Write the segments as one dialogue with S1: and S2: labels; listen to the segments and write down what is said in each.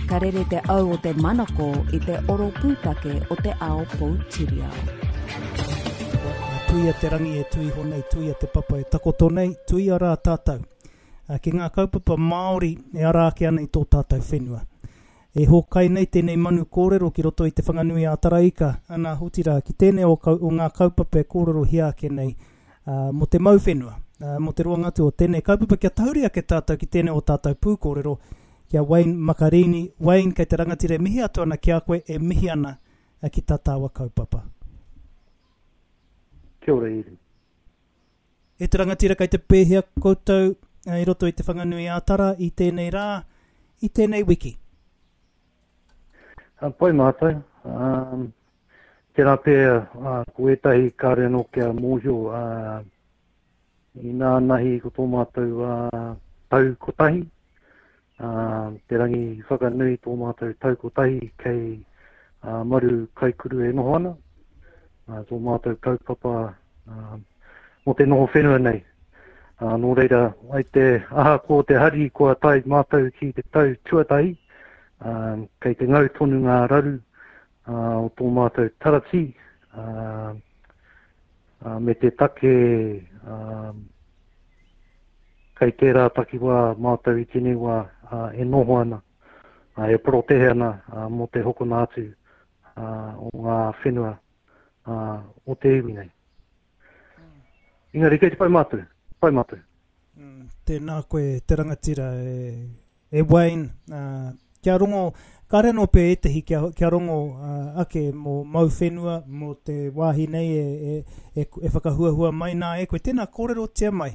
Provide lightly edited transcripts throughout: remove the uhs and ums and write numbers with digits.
S1: Ka rere te au o te manako i te oro pūtake o te ao poutiriao.
S2: Tuia te rangi e tui iho nei, tuia te papa e takoto nei, tuia rā tātou ki ngā kaupapa Māori e ara ake ana i tō tātou whenua. E hōkai nei tēnei manu kōrero ki roto i Te Whanganui-ā-Taraika, ana, otirā, ki tēnei o, o ngā kaupapa e kōrerohia ake nei mō te mau whenua, mō te roanga atu o tēnei kaupapa, kia tahuri ake tātou ki tēnei o tātou pūkōrero, ki a Wayne Makarini. Wayne, kei te rangatira e mihi atu ana ki a koe, e mihi ana ki tā tāua kaupapa.
S3: Kia ora Iri.
S2: E te rangatira kei te pēhea koutou i roto i Te Whanganui-ā-Tara i tēnei rā, i tēnei wiki?
S3: Pai mātou. Um, tērā pea uh, ko ētahi kāre anō kia mōhio uh, inā nahi ko tō mātou uh, tau kotahi, uh, te rangi whakanui tō mātou tau kotahi kei uh, Maru Kaikuru e noho ana, uh, tō mātou kaupapa uh, mō te noho whenua nei. Uh, nō reira, ai te ahakoa te hari kua tae mātou ki te tau tuatahi, uh, kei te ngau tonu ngā raru uh, o tō mātou taratī, uh, uh, me te take uh, kei tērā takiwā mātou i tēnei wā uh, e noho ana, uh, e porotehe ana uh, mō te hokona atu uh, o ngā whenua uh, o te iwi nei. Engari kei te pai mātou, pai mātou.
S2: Mm, tēnā koe te rangatira e, e Wayne, uh, kia rongo, kāre anō pea ētehi kia, kia rongo uh, ake mō mau whenua, mō te wāhi nei e, e, e, e whakahuahua mai nā e koe. Tēnā kōrerotia mai,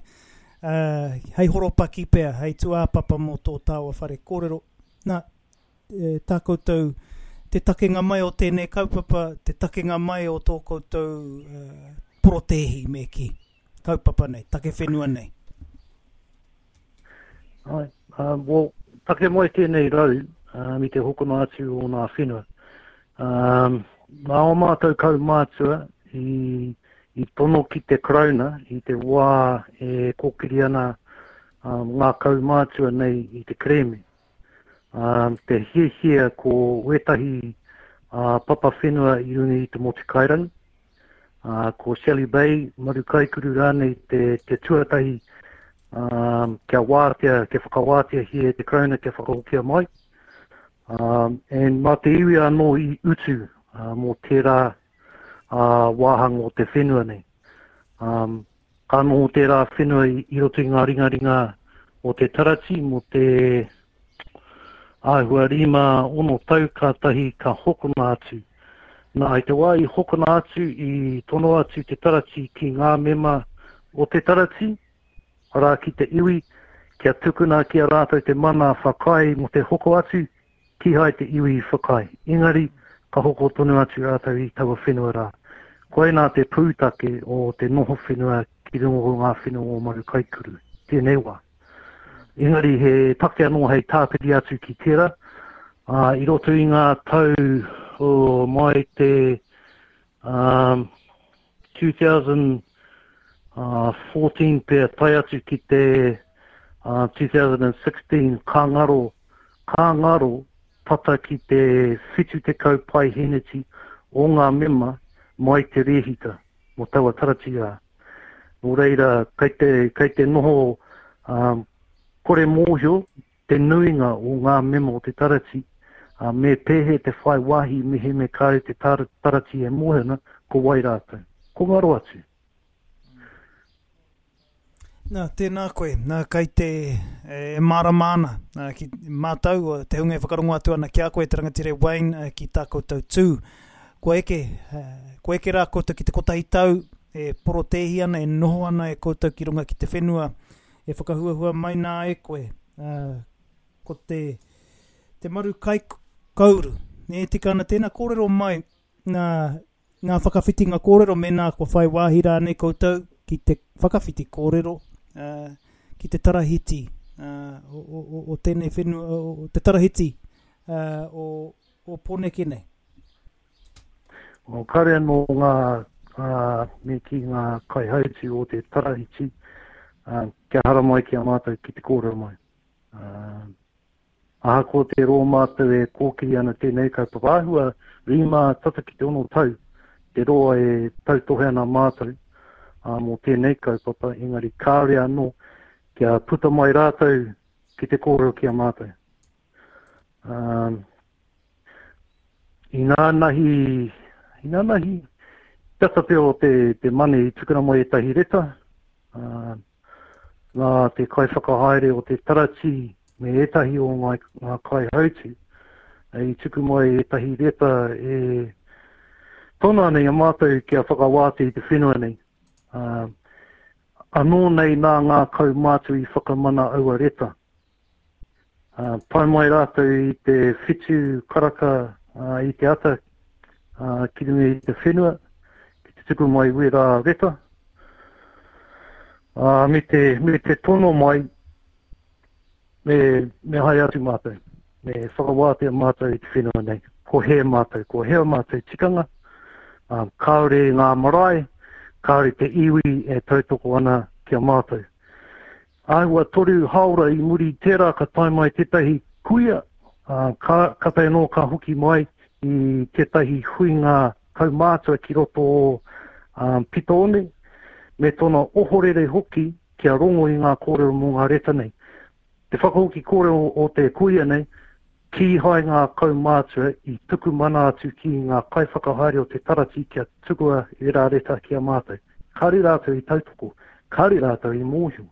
S2: uh, hei horopaki pea, hei tūāpapa mō tō tāua whare kōrero. Nā, tā koutou, te takenga mai o tēnei kaupapa, te takenga mai o tō koutou porotēhi, me kī, kaupapa nei, take whenua nei.
S3: Ai, um, well, take mai tēnei rau um, i te hokona atu o nā whenua. Um, nā o mātou kaumātua i, i tono ki te Karauna i te wā e kōkiri ana um, ngā kaumātua nei i te kerēme. Ā, te hiahia ko wētahi papa whenua i runga i te motu kairangi, ā, ko Shelly Bay, Maru Kaikuru rānei te, te tuatahi ā, kia wātea, kia whakawāteahia e te Karauna kia whakahokia mai. Ā, and mā te iwi anō i utu ā, mō tērā ā, wāhanga o te whenua nei. Ā, Ka noho tērā whenua i roto i ngā ringaringa o te tarati mō te āhua 5, 6 tau kātahi ka hokona atu. Nā, i te wā i hokona atu, i tono atu te tarati ki ngā mema o te tarati, arā ki te iwi, kia tukuna ki a rātou te mana whakaae mō te hoko atu, Kīhai te iwi i whakaae, engari ka hoko tonu atu rātou i taua whenua rā. Koinā te pūtake o te noho whenua ki runga o ngā whenua o Marukaikuru i tēnei wā. Engari he take anō hei tāpiri atu ki tērā, ā, i roto i ngā tau o mai te um, 2014 pea tae atu ki te uh, 2016 ka ngaro, ka ngaro tata ki te 70 paiheneti o ngā mema mai te rēhita mō taua tarati rā. Nō reira, kei te, kei te noho um, kore mōhio te nuinga o ngā mema o te tarati, ā, me pēhea te whai wāhi mehemea kāore te tarati e mōhio ana ko wai rātou. Ko ngaro atu.
S2: Nā, tēnā koe. Nā, kai te e mārama ana nā, ki mātou, te hunga e whakarongo atu ana ki a koe, te rangatira Wayne, ki tā koutou tū. Kua eke, kua eke rā koutou ki te kotahi tau e porotēhi ana, e noho ana e koutou ki runga ki te whenua, e whakahuahua mai nā e koe, ā, ko te, te maru kai kauru. E tika ana tēnā kōrero mai nā, ngā whakawhitinga kōrero mēnā kua whai wāhi rānei koutou ki te whakawhiti kōrero ā, ki te tarahiti ā, o, o, o, o tēnei whenua, o, o, te tarahiti ā, o, o Pōneke nei.
S3: O, kāre anō ngā, ā, me kī ngā kaihautū o te tarahiti, ā, kia haramai ki a mātou ki te kōrero mai. Ā, Ahakoa te roa mātou e kōkiri ana tēnei kaupapa, āhua rima tata ki te ono tau te roa e tautohe ana mātou mō tēnei kaupapa, engari kāore anō kia puta mai rātou ki te kōrero ki a mātou. Um, inānahi, inānahi, tata pea o te, te mane i tukuna mai ētahi reta, uh, nā te kaiwhakahaere o te taratī me ētahi o ngā, ngā kaihautū i tuku mai ētahi reta e tono ana i a mātou kia whakawātea i te whenua nei. Uh, anō nei nā ngā kaumātua i whakamana aua reta. Uh, tae mai rātou i te whitu karaka uh, i te ata uh, ki runga i te whenua, ki te tuku mai wērā reta. Uh, me, te, me te tono mai, me, me haere atu mātou, me whakawātea mātou i te whenua nei. Ko hē mātou, ko hea mātou tikanga, uh, kāore ngā marae, kāore te iwi e tautoko ana ki a mātou. Āhua toru hāora i muri i tērā ka tae mai tētahi kuia, ā, ka, kātahi anō ka hoki mai i tētahi huinga kaumātua ki roto o um, Pitoone, me tōna ohorere hoki kia rongo i ngā kōrero mō ngā reta nei. Te whakahoki kōrero o te kuia nei, kīhai ngā kaumātua i tuku mana atu ki ngā kaiwhakahaere o te taratī kia tukua ērā reta ki a mātou. Kāre rātou i tautoko, kāre rātou i mōhio.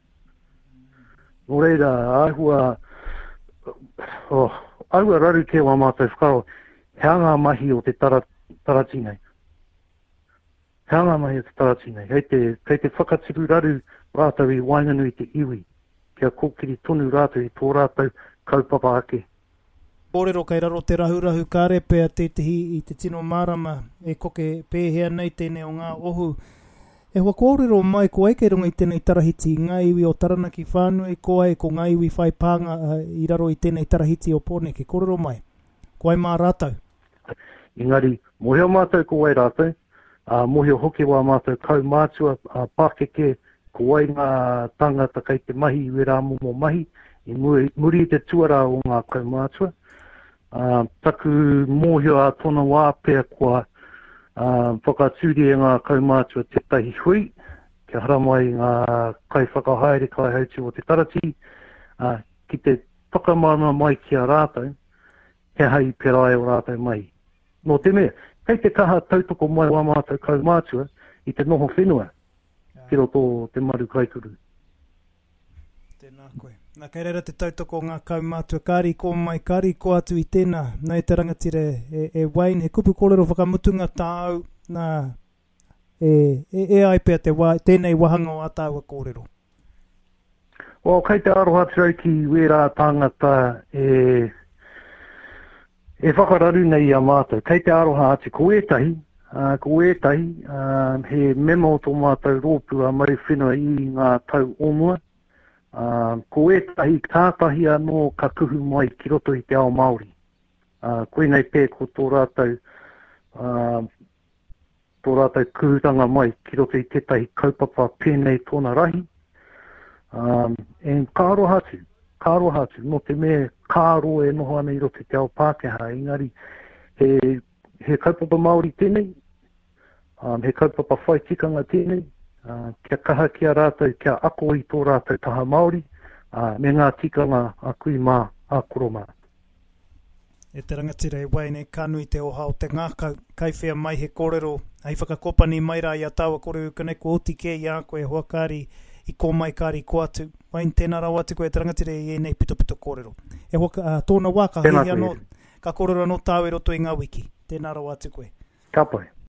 S3: Nō reira, āhua, oh, āhua raru kē wā mātou whakaaro, he aha ngā mahi o te tara, taratī nei? He aha ngā mahi o te taratī nei? Kei te, kei te whakatipu raru rātou i waenganui i te iwi, kia kōkiri tonu rātou i tō rātou kaupapa ake.
S2: Kōrero kei raro te rahurahu kāre pea tētehi i te tino mārama e koke pēhea nei tēnei o ngā ohu. E hoa kōrero mai ko ai kei runga i tēnei tarahiti, ngā iwi o Taranaki whānui, ko ai ko ngā iwi whai pānga i raro i tēnei tarahiti o Pōneke. Kōrero mai. Ko ai mā rātou.
S3: Engari, mōhio mātou ko wai rātou, ā, mōhio hoki wā mātou kaumātua, ā, pākeke, ko wai ngā tāngata kei te mahi i wērā momo mahi, i mua, muri i te tuarā o ngā kaumātua. Ā, taku mōhio ā tōna wā pea kua, ā, whakatūria e ngā kaumātua tētahi hui, kia haramai ngā kaiwhakahaere, kaihautū o te taratī, ā, ki te whakamārama mai ki a rātou, he aha i pērā ai ō rātou mahi. Nō te mea, kei te kaha tautoko mai wā mātou kaumātua i te noho whenua ki roto o te maru kaikuru.
S2: Tēnā koe. Nā, kei reira te tautoko o ngā kaumātua, kāri kō mai, kāri kō atu i tēnā. Nā e te rangatira e, e Wayne, he kupu kōrero whakamutunga tāu, nā, e, e, e ai pea te wā, tēnei wāhanga o ā tāua kōrero.
S3: Well, kei te aroha atu au ki wērā tāngata e, e whakararu nei i a mātou. Kei te aroha atu ko ētahi, uh, ko ētahi, uh, he mema o tō mātou rōpū a Maru Whenua i ngā tau o mua. Uh, ko ētahi kātahi anō ka kuhu mai ki roto i te ao Māori. Uh, koinei pē ko tō rātou uh, tō rātou kuhutanga mai ki roto i tētahi kaupapa pēnei tōna rahi. Um, and ka aroha atu, ka aroha atu, nō te mea ka roa e noho ana i roto i te ao Pākehā, engari he, he kaupapa Māori tēnei, um, he kaupapa whai tikanga tēnei, uh, kia kaha ki a rātou, kia ako i tō rātou taha Māori, uh, me ngā tikanga a kui mā, a koro mā.
S2: E te rangatira e Wayne, ka nui te oha o te ngākau. Kai whea mai he kōrero hei whakakopani mai rā i a tāua kore uka nei, kua oti kē i a koe e hoa kāri i kō mai kāri kō atu. Wayne, tēnā rawa atu koe e te rangatira i ēnei pitopito kōrero. E hoa, ā, tōna wā ka hiahia anō, ka kōrero anō tāua i roto i ngā wiki. Tēnā rawa atu koe.
S3: Ka pai.